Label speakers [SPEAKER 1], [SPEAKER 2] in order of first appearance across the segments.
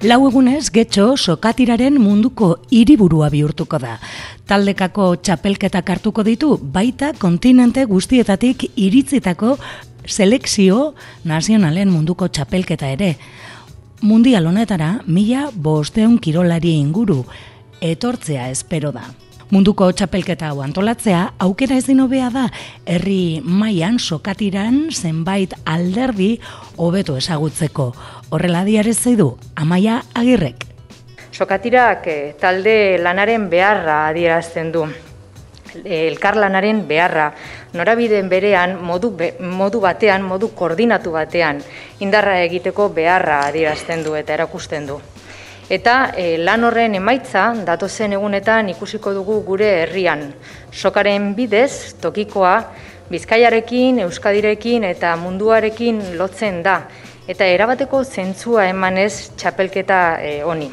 [SPEAKER 1] Lau egunez Getxo sokatiraren munduko hiriburua bihurtuko da. Taldekako txapelketak hartuko ditu, baita kontinente guztietatik iritzitako selekzio nazionalen munduko txapelketa ere. Mundial honetara 1500 kirolari inguru etortzea espero da. Munduko txapelketa hau antolatzea aukera ezin hobea da herri mailan sokatiran zenbait alderdi hobeto ezagutzeko. Horrela adierazi du Amaia Agirrek.
[SPEAKER 2] Sokatirak talde lanaren beharra adierazten du. Elkarlanaren beharra, norabideen berean, modu batean, modu koordinatu batean, indarra egiteko beharra adierazten du eta erakusten du. Eta lan horren emaitza datozen egunetan ikusiko dugu gure herrian. Sokaren bidez, tokikoa, Bizkaiarekin, Euskadirekin eta munduarekin lotzen da, eta erabateko zentzua emanez txapelketa honi.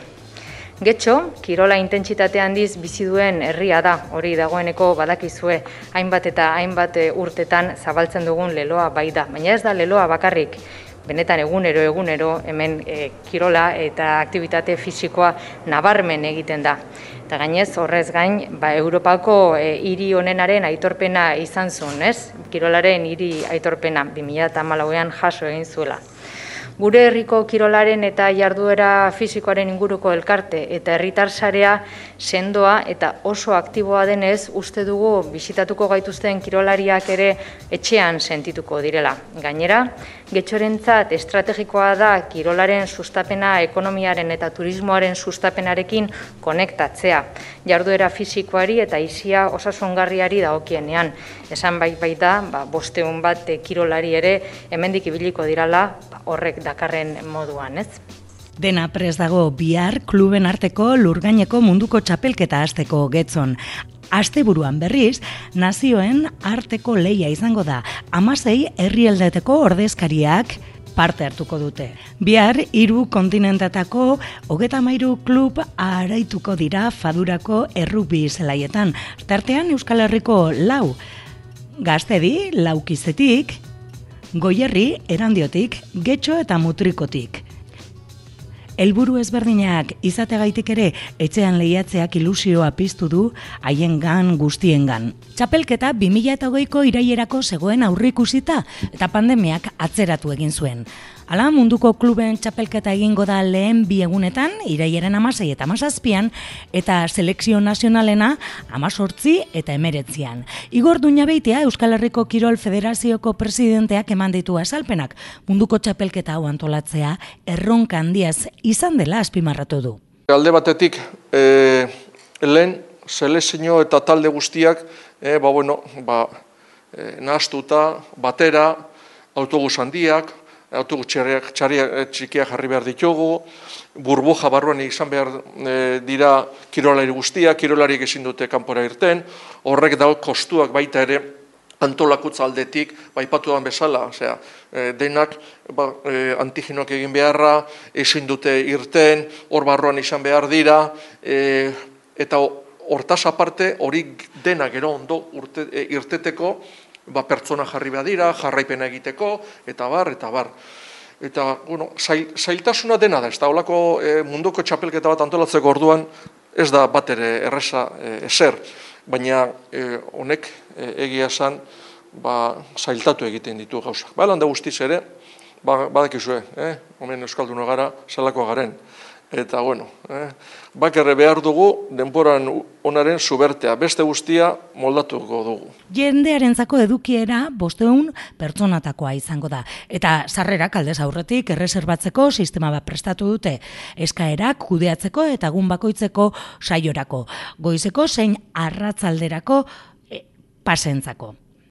[SPEAKER 2] Getxo, kirola intentsitate handiz bizi duen herria da, hori dagoeneko badakizue, hainbat eta hainbat urtetan zabaltzen dugun leloa bai da, baina ez da leloa bakarrik. Benetan egunero hemen kirola eta aktibitate fisikoa nabarmen egiten da. Eta gainez horrez gain, Europako hiri honenaren aitorpena izan zuen, ez? Kirolaren hiri aitorpena 2014an jaso egin zuela. Gure herriko kirolaren eta jarduera fisikoaren inguruko elkarte eta herritar sarea sendoa eta oso aktiboa denez uste dugu bisitatuko gaituzten kirolariak ere etxean sentituko direla. Gainera, Getxorentzat estrategikoa da kirolaren sustapena ekonomiaren eta turismoaren sustapenarekin konektatzea. Jarduera fisikoari eta aisia osasungarriari dagokienean. Esan baita, 500 bat kirolari ere hemendik ibiliko dirala horrek dakarren moduan, ez?
[SPEAKER 1] Dena prest dago bihar kluben arteko lurgaineko munduko txapelketa hasteko Getxon. Asteburuan berriz, nazioen arteko lehia izango da. 16 herrialdeteko ordezkariak parte hartuko dute. Bihar 3 kontinentatako 33 klub araituko dira Fadurako errugbi zelaietan. Tartean Euskal Herriko 4, Gaztedi, Laukizetik, Goierri, Erandiotik, Getxo eta Mutrikotik. Helburu ezberdinak izategaitik ere etxean lehiatzeak ilusioa piztu du haiengan guztiengan. Txapelketa 2020ko irailerako zegoen aurreikusita eta pandemiak atzeratu egin zuen. Hala, munduko kluben txapelketa egingo da lehen 2 egunetan, irailaren 16 eta 17an, eta selekzio nazionalena 18 eta 19an. Igor Duñabeitia, Euskal Herriko Kirol Federazioko presidenteak eman ditu azalpenak, munduko txapelketa hau antolatzea erronka handiaz izan dela azpimarratu du.
[SPEAKER 3] Alde batetik, lehen selekzio eta talde guztiak, nahastuta, batera, autobus handiak, autobus txikiak jarri behar ditugu, burbuja barruan izan behar dira kirolari guztiak, kirolariek ezin dute kanpora irten, horrek dago kostuak baita ere antolakutza aldetik, aipatu den bezala, denak antigenoak egin beharra, ezin dute irten, hor barruan izan behar dira, eta hortaz aparte hori denak gero ondo irteteko, pertsona jarri behar dira, jarraipena egiteko, eta bar. Eta, zailtasuna dena da, ez da, holako munduko txapelketa bat antolatzeko orduan, ez da bat ere erreza ezer, baina honek egia esan, zailtatu egiten ditu gauzak. Landa guztiz ere, badakizue, homen euskalduna gara, zelako garen. Eta, bakarre behar dugu denboran onaren zubertea, beste guztia moldatuko dugu.
[SPEAKER 1] Jendearentzako edukiera 500 pertsonatakoa izango da. Eta sarrerak aldez aurretik erreserbatzeko sistema bat prestatu dute. Eskaerak kudeatzeko eta egun bakoitzeko saiorako. Goizeko zein arratzalderako pasentzako.